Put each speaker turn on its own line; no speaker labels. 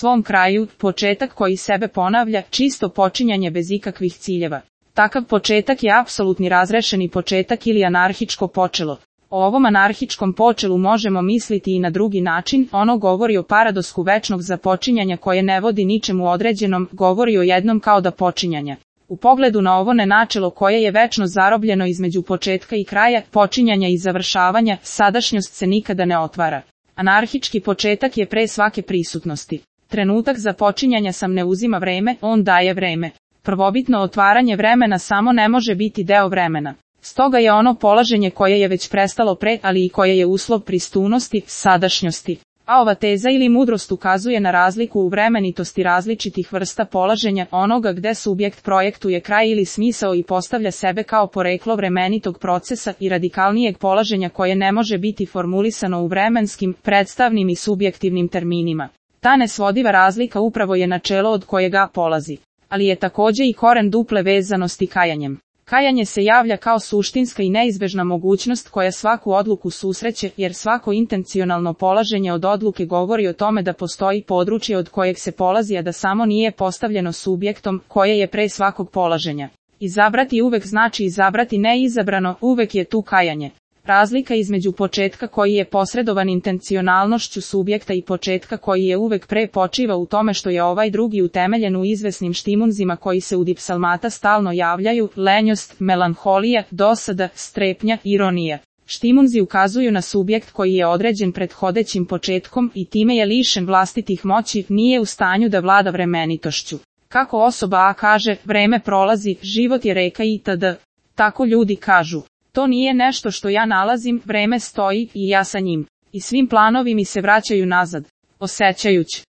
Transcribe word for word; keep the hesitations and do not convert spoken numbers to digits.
svom kraju, početak koji sebe ponavlja, čisto počinjanje bez ikakvih ciljeva. Takav početak je apsolutni razrešeni početak ili anarhičko počelo. O ovom anarhičkom počelu možemo misliti i na drugi način, ono govori o paradosku večnog započinjanja koje ne vodi ničemu određenom, govori o jednom kao da počinjanja. U pogledu na ovo nenačelo koje je večno zarobljeno između početka i kraja, počinjanja i završavanja, sadašnjost se nikada ne otvara. Anarhički početak je pre svake prisutnosti. Trenutak započinjanja sam ne uzima vreme, on daje vreme. Prvobitno otvaranje vremena samo ne može biti deo vremena. Stoga je ono polaženje koje je već prestalo pre, ali i koje je uslov prisutnosti, sadašnjosti. A ova teza ili mudrost ukazuje na razliku u vremenitosti različitih vrsta polaženja, onoga gde subjekt projektuje kraj ili smisao i postavlja sebe kao poreklo vremenitog procesa i radikalnijeg polaženja koje ne može biti formulisano u vremenskim, predstavnim i subjektivnim terminima. Ta nesvodiva razlika upravo je načelo od kojega polazi. Ali je takođe i koren duple vezanosti kajanjem. Kajanje se javlja kao suštinska i neizbežna mogućnost koja svaku odluku susreće, jer svako intencionalno polaženje od odluke govori o tome da postoji područje od kojeg se polazi, a da samo nije postavljeno subjektom, koje je pre svakog polaženja. Izabrati uvek znači izabrati neizabrano, uvek je tu kajanje. Razlika između početka koji je posredovan intencionalnošću subjekta i početka koji je uvek pre počiva u tome što je ovaj drugi utemeljen u izvesnim štimunzima koji se u dipsalmata stalno javljaju, lenjost, melanholija, dosada, strepnja, ironija. Štimunzi ukazuju na subjekt koji je određen prethodećim početkom i time je lišen vlastitih moći, nije u stanju da vlada vremenitošću. Kako osoba A kaže, vreme prolazi, život je reka itd. Tako ljudi kažu. To nije nešto što ja nalazim, vreme stoji i ja sa njim. I svim planovi mi se vraćaju nazad. Osećajući.